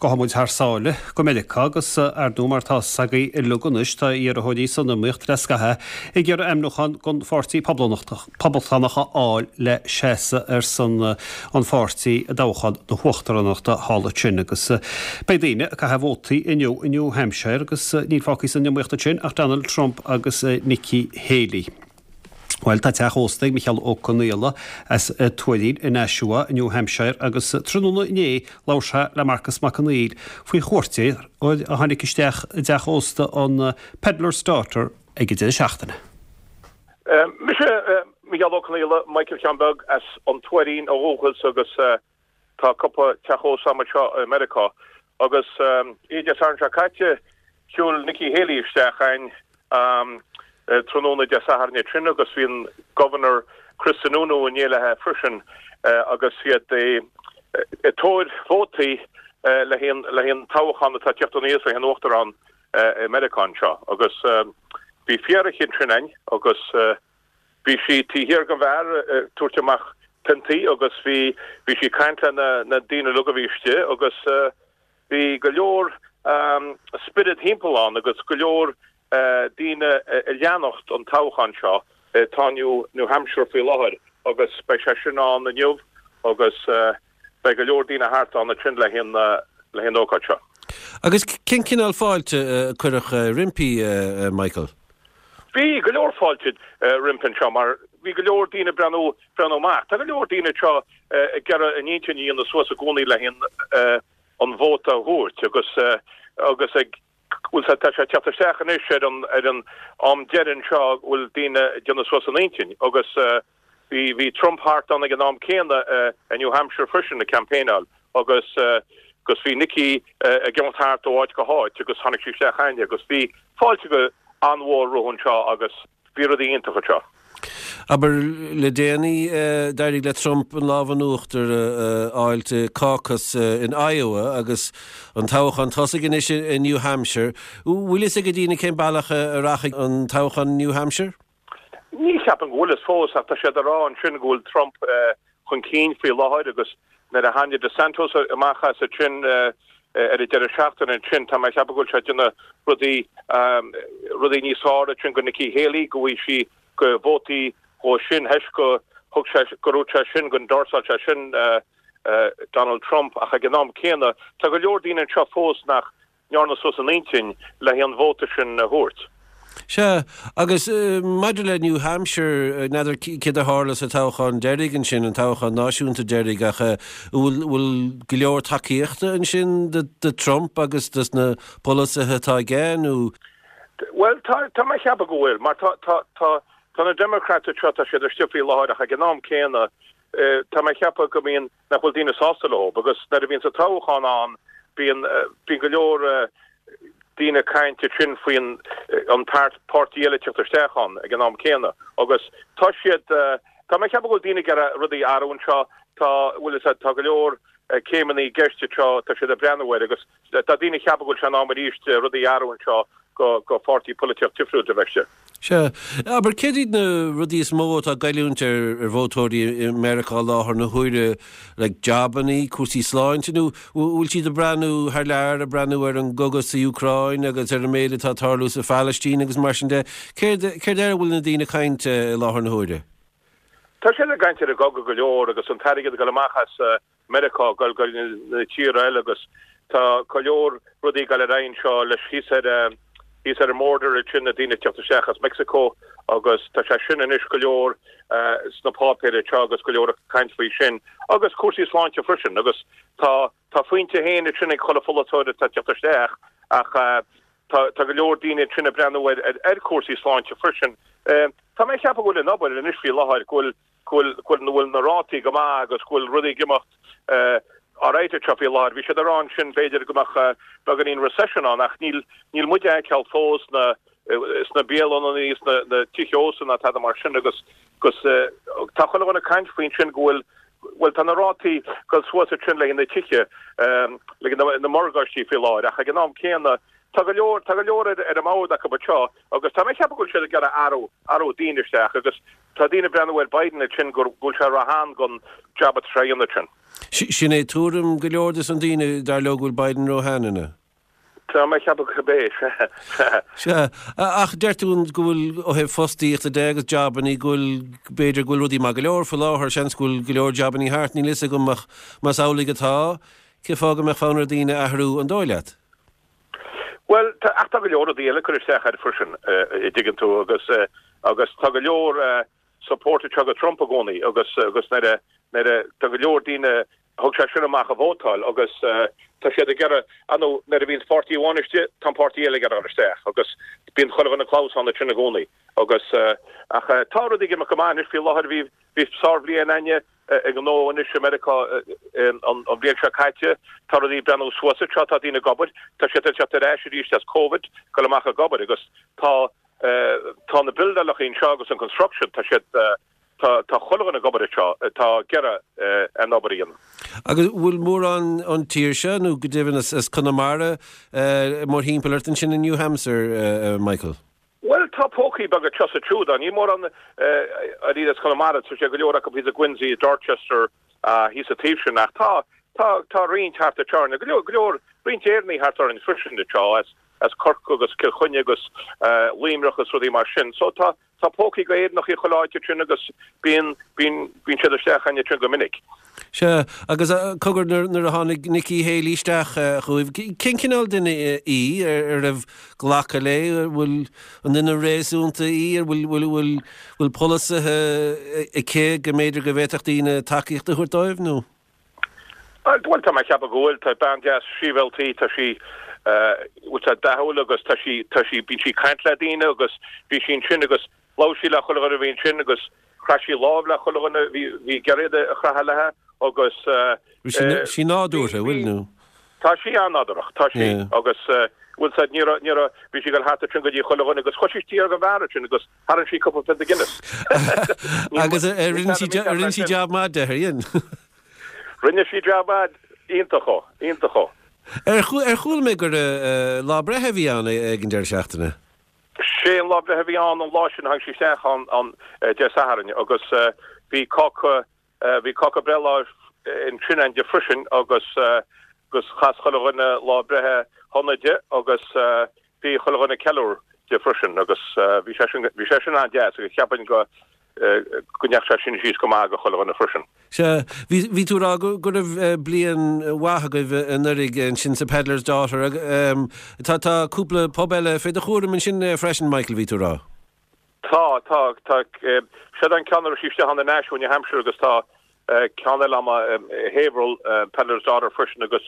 Gabhfaidh muid thar sáile go Meiriceá agus, ar ndóigh, mar atá 's agaibh uilig anois, tá iarrthóirí san iomaíocht le scaitheamh ag iarraidh ainmniúchán don Pháirtí Poblachtánach a fháil le seasamh ar son an pháirtí i dtoghchán na huachtaránachta thall ansin. Agus beidh daoine ag caitheamh vótaí inniu i New Hampshire agus níl fágtha san iomaíocht ansin ach Donald Trump agus Nikki Haley. Bhuel, tá teach ósta ag Micheál Ó Conaola as Tuairín i Nashua i New Hampshire agus tráthnóna inné labhair sé le Marcus Mac Conghail faoi chuairteoir a tháinig isteach i dteach ósta an Pedlar's Daughter ag an deireadh seachtaine. Mise Micheál Ó Conaola, Michael Sheáin Beag as an Tuairín ó dhúchas agus Tá cúpla teach ósta agam anseo i Meiriceá agus oíche Dé Sathairn seo caite shiúil Nikki Haley isteach a'inn tráthnóna Dé Sathairn ansin agus bhí an Governor Chris Sununu in éindí léi freisin agus iad ag tóir vótaí le haghaidh an toghchán atá ag tíocht aníos le haghaidh an uachtarán i Meiriceá anseo agus bhí fear eicínt ansin a'inn agus Bhí sí taobh thiar den bheár ag tabhairt amach piontaí agus bhí bhí sí ag caint le na na daoine uilig a bhí istigh agus bhí go leor spiorad thimpeall ann agus go leor daoine ag leanacht an toghchán seo atá i New New Hampshire faoi láthair agus beidh sé sin ann inniu agus beidh go leor daoine thart ann ansin le haghaidh le haghaidh an ócáid seo. Agus cén cineál fáilte a cuireadh roimpi, Michael? Bhí go leor fáilte roimpi anseo mar bhí go leor daoine ag breathnú, breathnú amach. Tá go leor daoine anseo ag iarraidh a n-intinn a dhéanamh suas i gcónaí le haghaidh an vóta a thabhairt agus agus ag bhfuil tá sé ag teacht isteach anois ar an ar an am deiridh anseo go bhfuil daoine ag déanamh suas a n-intinn agus Bhí, bhí Trump thart ann ag an am céanna i New Hampshire freisin ag campaignáil agus, agus bhí Nikki ag imeacht thart ó áit go háit agus tháinig sí isteach a'inne agus bhí fáilte go an-mhór rompu anseo agus bhí rudaí iontach anseo. Abair, le déanaí, d'éirigh le Trump an lámh in uachtar a fháilt i caucus in Iowa agus an toghchán tosaigh anois i New Hampshire. Bhfuil fhios ag daoine cén bealach a rachaidh an toghchán i New Hampshire? Ní cheapaim go bhfuil fhios fós ach tá siad ag rá ansin go bhfuil Trump chun cinn faoi láthair agus nuair a tháinig DeSantis amach as ansin ar an deireadh seachtaine ansin tá mé ag ceapadh go bhfuil sé ag déanamh rudaí rudaí níos fearr ansin go Nikki Haley go bhfaighidh sí go vótaí dhó sin théis go thug sé go raibh sé sin go endorsáil sé sin Donald Trump ach ag an am céanna tá go leor daoine anseo fós nach ndearna suas a n-intinn le haghaidh an vóta sin a thabhairt. Sea, agus maidir le New Hampshire, n'fheadar céard a tharla sa toghchán deiridh ansin, an toghchán náisiúnta deiridh, ach an bhfuil go leor tacaíochta ansin do Trump agus dos na polasaithe atá aige, nó? Bhuel, tá, tá mé ag ceapadh go bhfuil, mar tá, tá, tá, tá na Democrats anseo, tá siad istigh faoi láthair ach ag an am céanna, tá mé ag ceapadh go mbíonn, nach bhfuil daoine sásta leo agus nuair a bhíonn sa toghchán ann bíonn bíonn go leor daoine ag caint ansin faoin an páirtí eile teacht isteach ann ag an am céanna agus tá siad tá mé ag ceapadh go bhfuil daoine ag iarraidh rudaí a athrú anseo tá bhfuil fhios a'd tá go leor céimeanna i gceist anseo tá siad ag breathnú air agus tá daoine ag ceapadh go bhfuil sé in am arís rudaí a athrú anseo go go pháirtí polaitíocht difriúil a bheith istigh. Sea. Abair, céard iad na rudaí is mó atá ag goilliúint ar vótóirí i Meiriceá i láthair na huaire, like jabannaí, cúrsaí sláinte, nó bhfuil siad ag breathnú thar lear, ag breathnú ar an gcogadh sa Úcráin agus ar an méid atá ag tarlú sa Phalaistín agus mar sin de? Céard, céard air a bhfuil na daoine ag caint i láthair na huaire? Tá siad ag caint ar an gcogadh go leor agus an t-airgead ag dul amach as Meiriceá ag dul go na tíortha eile agus tá go leor rudaí ag dul ar aghaidh anseo leis thíos ar thíos ar an mborder ansin na daoine ag teacht isteach as Mexico agus tá sé sin anois go leor sna páipéir anseo agus go leor ag caint faoi sin agus cúrsaí sláinte freisin agus tá tá a phointe féin ansin ag chuile pholaiteoir atá ag teacht isteach ach tá tá go leor daoine ansin ag breathnú ar ar cúrsaí sláinte freisin. Tá mé ag ceapadh go bhfuil an obair anois faoi láthair go bhfuil go bhfuil, go bhfuil na rátaí go maith agus go bhfuil rudaí ag imeacht alright anseo faoi láthair. Bhí siad ag rá ansin b'fhéidir go mbeadh beagáinín recession ann ach níl, níl muid a fheiceáil fós sna, sna bialanna, sna na tithe ósta ná tada mar sin agus, agus tá chuile dhuine ag caint faoi ansin go bhfuil, bhuel tá na rátaí ag dul suas ansin le haghaidh na tithe, le haghaidh na, na morgáistí faoi láthair ach ag an am céanna. tá go leor, tá go leor ar ar an mbord acu anseo agus tá mé ag ceapadh go bhfuil siad ag iarraidh athrú, athrú daoine isteach agus tá daoine ag breathnú ar Biden ansin go bhfuil sé róshean don jab atá sé a dhéanamh ansin. Sin é tuairim go leor des na daoine, dar leo go bhfuil Biden róshean, an ea? Tá mé ag ceapadh gurb é, sea. Sea, ach deir tú go bhfuil, ó thaobh fostaíochta de agus jabannaí, go bhfuil, b'fhéidir go bhfuil rudaí maith go leor faoi láthair, seans go bhfuil go leor jabannaí thart, níl fhios agam ach más amhlaidh atá, cén fáth go mbeadh fonn ar dhaoine athrú, an dóigh leat? Bhuel, tá, ach tá go leor rudaí eile ag cur isteach air freisin, a dtuigeann tú, agus, agus tá go leor, support anseo do Trump i gcónaí agus agus nuair a nuair a tá go leor daoine thug sé sin amach a vótáil agus tá siad ag iarraidh ar ndóigh nuair a bhíonns páirtí amháin istigh tá an páirtí eile ag iarraidh dul isteach agus bíonn chuile dhuine clamhsán ansin i gcónaí agus ach tá rudaí ag imeacht go maith anois faoi láthair bhí bhí sárbhliain againne i ngnó anois i Meiriceá an bhliain seo caite tá rudaí ag breathnú suas anseo tá daoine ag obair tá siad ag teacht ar ais arís as Covid dul amach ag obair agus tá Tá na buildeálacha anseo agus an construction, tá siad, tá, tá chuile dhuine ag obair anseo, atá ag iarraidh an obair a dhéanamh. Agus bhfuil mórán ón tír seo, nó go deimhin as Conamara, mórthimpeall ort ansin i New Hampshire, Michael? Bhuel, tá pócaí beaga anseo is ansiúd ann. Níl mórán ariamh as Conamara, tá sé go leor acu thíos i Quincy, i Dorchester, thíos an taobh sin, ach tá, tá, tá roinnt thart anseo orainn, go leor, go leor, roinnt Éireannaigh thart orainn freisin anseo, as, as Corcaigh agus Cill Chainnigh agus Luimneach agus rudaí mar sin. So tá, tá pócaí go Éireannacha chuile áit ansin agus bíonn, bíonn, bíonn siad isteach againn ansin go minic. Sea, agus cogar nuair, nuair a tháinig Nikki Haley isteach chugaibh, cén cineál duine í, ar raibh glacadh léi, an bhfuil, an duine réasúnta í, an bhfuil, bhfuil, bhfuil, bhfuil polasaithe aici go mb'fhéidir go bhféadfadh daoine tacaíocht a thabhairt dóibh, nó? Bhuel, tá mé ag ceapadh go bhfuil. Tá bean deas sibhialta í, tá sí, bhuel, tá dathúil agus tá sí, tá sí, bíonn sí ag caint le daoine agus bhí sí ansin agus labhair sí le chuile dhuine a bhí ansin agus chraith sí lámh le chuile dhuine a bhí, bhí ag iarraidh a chroitheadh léi agus Bhfuil sí nádúrtha, bhfuil, nó? Tá sí an-nádúrach, tá sí agus bhfuil 's a'd, ní raibh, ní raibh, bhí sí ag dul thart ansin go dtí chuile dhuine agus chuir sí isteach ag an bheár ansin agus tharraing sí cúpla pionta Guinness. Agus ar rinne sí, ar rinne sí jab maith de, ar dhein? Rinne sí jab maith, iontach ó, iontach ó. Ar chuala mé gur lá breithe a bhí ann ag an deireadh seachtaine? Sé an lá breithe a bhí ann an lá sin, tháinig sí isteach ann Dé Sathairn agus bhí cáca Bhí cáca breithlá ansin againn di freisin agus agus chas chuile dhuine lá breithe shona di agus bhí chuile dhuine ag ceiliúradh di freisin agus bhí sé sin bhí sé sin an-deas agus cheapfainn go go ndeachaigh sé sin síos go maith go chuile dhuine freisin. Sea, bhí bhí tú ag rá go go raibh bliain mhaith agaibh anuraidh ansin sa Pedlar's Daughter. Tá tá cúpla pub eile fé do chúram ansin freisin Michael, bhí tú ag rá. Tá, tá, tá. Siod an ceann a raibh sí istigh ann i Nashua, New Hampshire agus tá ceann eile agam i Haverhill, Pedlar's Daughter freisin agus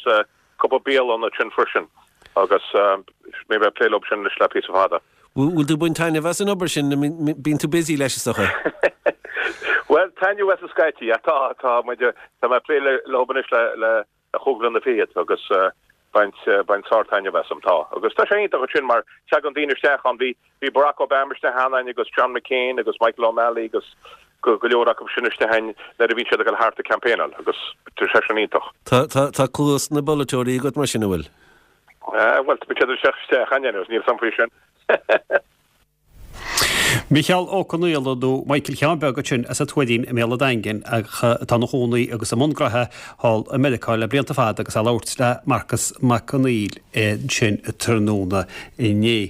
cúpla bialann ansin freisin agus mé ag plé leo sin anois le píosa fada. Bhfuil tú ag baint taitneamh as an obair sin? Bíonn tú busy leis is dócha? Bhuel, taitneamh as scaití, tá, tá muid, tá mé ag plé leo anois le, le chúig bhliana fichead agus baint baint sár-taitneamh asam. Tá. Agus tá sé iontach ansin mar tagann daoine isteach ann. Bhí bhí Barack Obama isteach ann againn agus John McCain agus Michael O'Malley agus go go leor acu sin isteach againn nuair a bhíonn siad ag dul thart ag campaignáil agus tá sé sin iontach. Tá tá tá cluas na bpolaiteoirí agat mar sin, an bhfuil? Bhuel, tá siad isteach isteach againn anyways, níl 's a'm faoi sin. Micheál Ó Conaola nó Michael Sheáin Bheag ansin as an Tuairín i mBéal an Daingin ach atá ina chónaí agus i mbun gnoithe thall i Meiriceá le blianta fada agus é ag labhairt le Marcas Mac Conghail ansin tráthnóna inné.